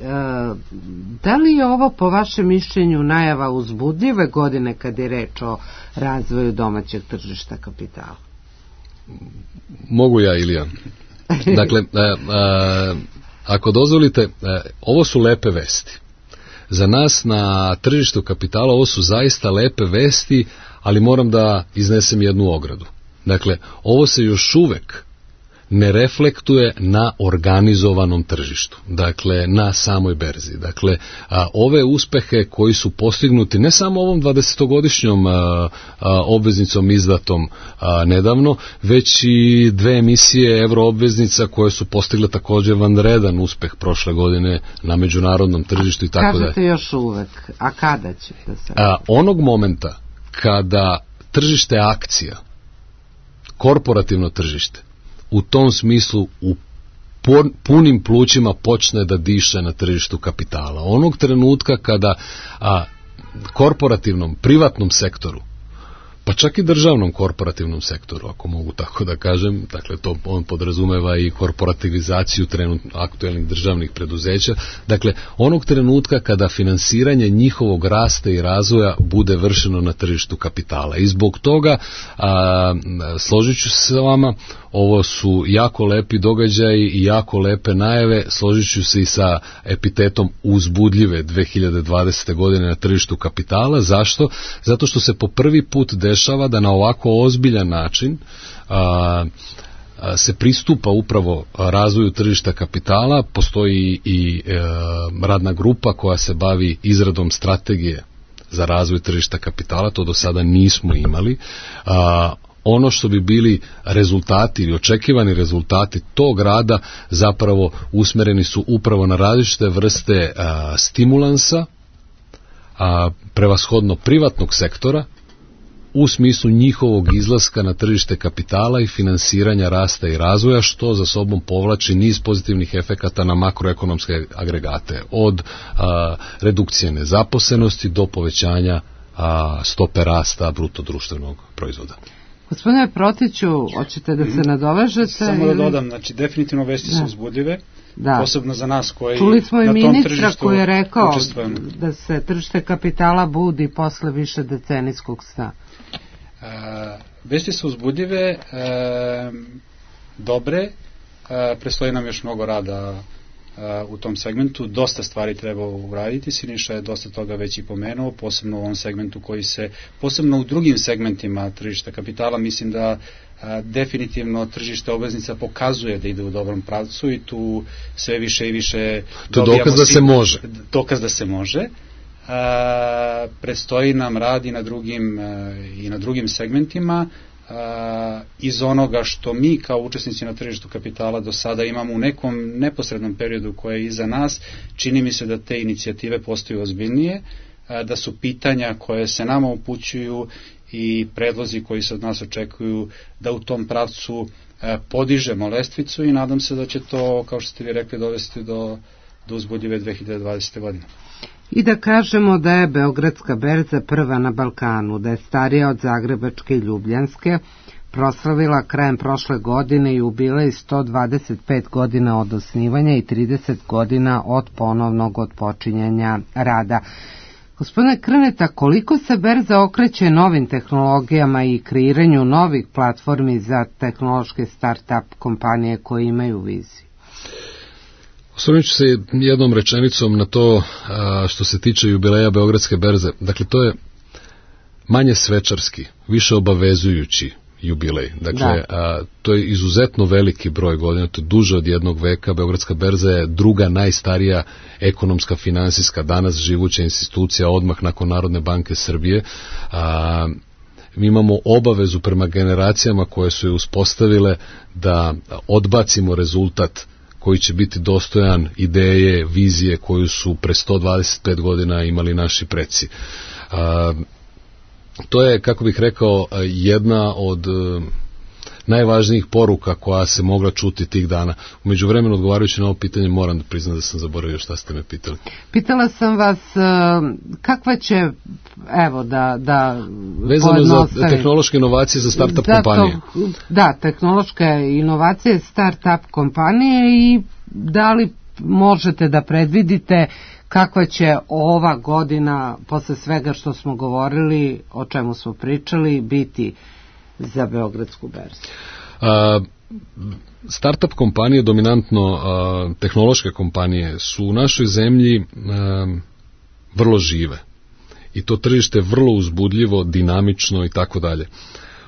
da li je ovo po vašem mišljenju najava uzbudljive godine kad je reč o razvoju domaćeg tržišta kapitala? Mogu ja, Ilija. Dakle, a, a, ako dozvolite, ovo su lepe vesti. Za nas na tržištu kapitala ovo su zaista lepe vesti, ali moram da iznesem jednu ogradu. Dakle, ovo se još uvek ne reflektuje na organizovanom tržištu, dakle na samoj berzi. Dakle, a, ove uspehe koji su postignuti ne samo ovom dvadesetogodišnjom a, a, obveznicom izdatom a, nedavno, već i dve emisije evroobveznica koje su postigle također vanredan uspeh prošle godine na međunarodnom tržištu i tako dalje. Kažete još uvek, a kada će da se... A, onog momenta kada tržište akcija, korporativno tržište, u tom smislu u punim plućima počne da diše na tržištu kapitala. Onog trenutka kada a, korporativnom, privatnom sektoru, pa čak i državnom korporativnom sektoru, ako mogu tako da kažem, dakle to on podrazumeva i korporativizaciju trenutno aktuelnih državnih preduzeća, dakle onog trenutka kada finansiranje njihovog rasta i razvoja bude vršeno na tržištu kapitala. I zbog toga, a, složit ću se sa vama, ovo su jako lepi događaji i jako lepe najave, složit ću se i sa epitetom uzbudljive dve hiljade dvadesete. godine na tržištu kapitala. Zašto? Zato što se po prvi put dešava da na ovako ozbiljan način a, a, se pristupa upravo razvoju tržišta kapitala. Postoji i e, radna grupa koja se bavi izradom strategije za razvoj tržišta kapitala, to do sada nismo imali. A, ono što bi bili rezultati ili očekivani rezultati tog rada zapravo usmereni su upravo na različite vrste a, stimulansa, a, prevashodno privatnog sektora, u smislu njihovog izlaska na tržište kapitala i finansiranja rasta i razvoja, što za sobom povlači niz pozitivnih efekata na makroekonomske agregate, od a, redukcije nezaposlenosti do povećanja a, stope rasta bruto društvenog proizvoda. Gospodine Protiću, hoćete da se nadovežete? Samo da dodam, znači definitivno vesti su uzbudljive, da. Posebno za nas koji Čuli smo na i tom ministra koji je rekao učestvujemo. Da se tržište kapitala budi posle više decenijskog sna. E, vesti su uzbudljive, e, dobre, e, predstoji nam još mnogo rada u tom segmentu, dosta stvari treba uraditi, Siniša je dosta toga već i pomenuo, posebno u ovom segmentu koji se, posebno u drugim segmentima tržišta kapitala, mislim da a, definitivno tržište obveznica pokazuje da ide u dobrom pravcu i tu sve više i više to dokaz da se može. Dokaz da se može. A, predstoji nam rad i na drugim, a, i na drugim segmentima, Uh, iz onoga što mi kao učesnici na tržištu kapitala do sada imamo u nekom neposrednom periodu koje je iza nas, čini mi se da te inicijative postaju ozbiljnije, uh, da su pitanja koje se nama upućuju i predlozi koji se od nas očekuju da u tom pravcu uh, podižemo lestvicu i nadam se da će to, kao što ste vi rekli, dovesti do do uzbudljive dve hiljade dvadesete. godine. I da kažemo da je Beogradska berza prva na Balkanu, da je starija od Zagrebačke i Ljubljanske, proslavila krajem prošle godine jubilej sto dvadeset pet godina od osnivanja i trideset godina od ponovnog otpočinjanja rada. Gospodine Krneta, koliko se berza okreće novim tehnologijama i kreiranju novih platformi za tehnološke start-up kompanije koje imaju viziju? Osvrnut ću se jednom rečenicom na to što se tiče jubileja Beogradske berze. Dakle, to je manje svečarski, više obavezujući jubilej. Dakle, a, to je izuzetno veliki broj godina, to je duže od jednog veka. Beogradska berza je druga najstarija ekonomska, finansijska, danas živuća institucija odmah nakon Narodne banke Srbije. A, mi imamo obavezu prema generacijama koje su je uspostavile da odbacimo rezultat koji će biti dostojan ideje, vizije koju su pre sto dvadeset pet godina imali naši preci. A, To je, kako bih rekao, jedna od najvažnijih poruka koja se mogla čuti tih dana. U međuvremenu, odgovarajući na ovo pitanje, moram da priznam da sam zaboravio šta ste me pitali. Pitala sam vas kakva će, evo da, da vezano za tehnološke inovacije za start-up Zato, kompanije. Da, tehnološke inovacije start-up kompanije i da li možete da predvidite kakva će ova godina, posle svega što smo govorili, o čemu smo pričali, biti za Beogradsku berzu? A, startup kompanije, dominantno a, tehnološke kompanije, su u našoj zemlji a, vrlo žive. I to tržište je vrlo uzbudljivo, dinamično i tako dalje.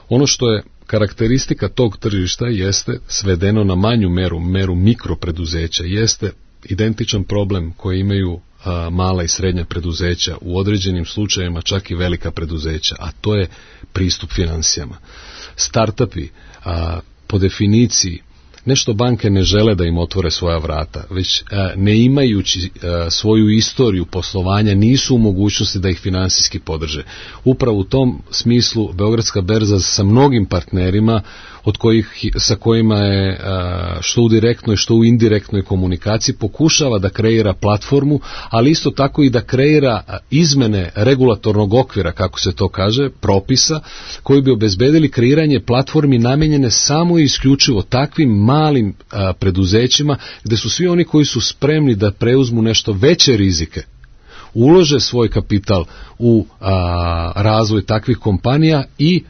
Ono što je karakteristika tog tržišta jeste, svedeno na manju meru, meru mikropreduzeća, jeste identičan problem koji imaju a, mala i srednja preduzeća, u određenim slučajevima čak i velika preduzeća, a to je pristup finansijama. Startupi, a, po definiciji, nešto banke ne žele da im otvore svoja vrata, već a, ne imajući a, svoju istoriju poslovanja nisu u mogućnosti da ih finansijski podrže. Upravo u tom smislu Beogradska berza sa mnogim partnerima od kojih, sa kojima je a, što u direktnoj, što u indirektnoj komunikaciji pokušava da kreira platformu, ali isto tako i da kreira izmene regulatornog okvira, kako se to kaže, propisa, koji bi obezbedili kreiranje platformi namenjene samo i isključivo takvim malim a, preduzećima, gde su svi oni koji su spremni da preuzmu nešto veće rizike, ulože svoj kapital u a, razvoj takvih kompanija i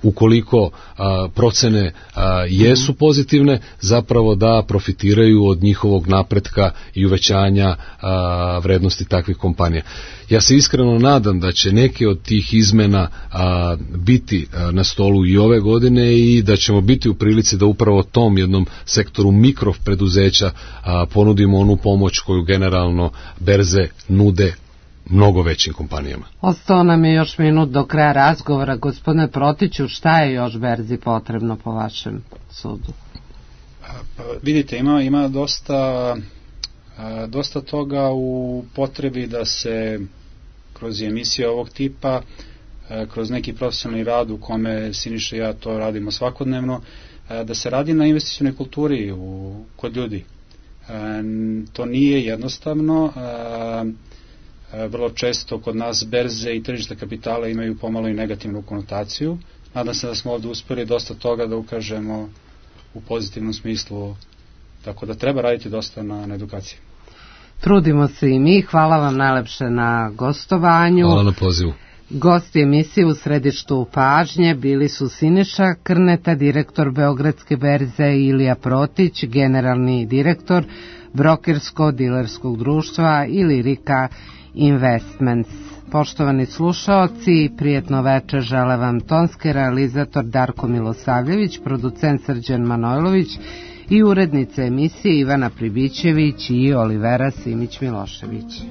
ukoliko a, procene a, jesu pozitivne, zapravo da profitiraju od njihovog napretka i uvećanja a, vrednosti takvih kompanija. Ja se iskreno nadam da će neke od tih izmena a, biti a, na stolu i ove godine i da ćemo biti u prilici da upravo tom jednom sektoru mikropreduzeća a, ponudimo onu pomoć koju generalno berze nude mnogo većim kompanijama. Ostao nam je još minut do kraja razgovora. Gospodine Protiću, šta je još berzi potrebno po vašem sudu? Pa, vidite, ima, ima dosta, dosta toga u potrebi da se kroz emisije ovog tipa, kroz neki profesionalni rad u kome Siniša i ja to radimo svakodnevno, da se radi na investicionoj kulturi u, kod ljudi. To nije jednostavno. Vrlo često kod nas berze i tržišta kapitala imaju pomalo i negativnu konotaciju. Nadam se da smo ovdje uspjeli dosta toga da ukažemo u pozitivnom smislu, tako da treba raditi dosta na, na edukaciji. Trudimo se i mi. Hvala vam najlepše na gostovanju. Hvala na pozivu. Gosti emisije u središtu pažnje bili su Siniša Krneta, direktor Beogradske berze, i Ilija Protić, generalni direktor brokersko-dilerskog društva Ilirika Investments. Poštovani slušaoci, prijetno večer žele vam tonski realizator Darko Milosavljević, producent Srđan Manojlović i urednica emisije Ivana Pribićević i Olivera Simić Milošević.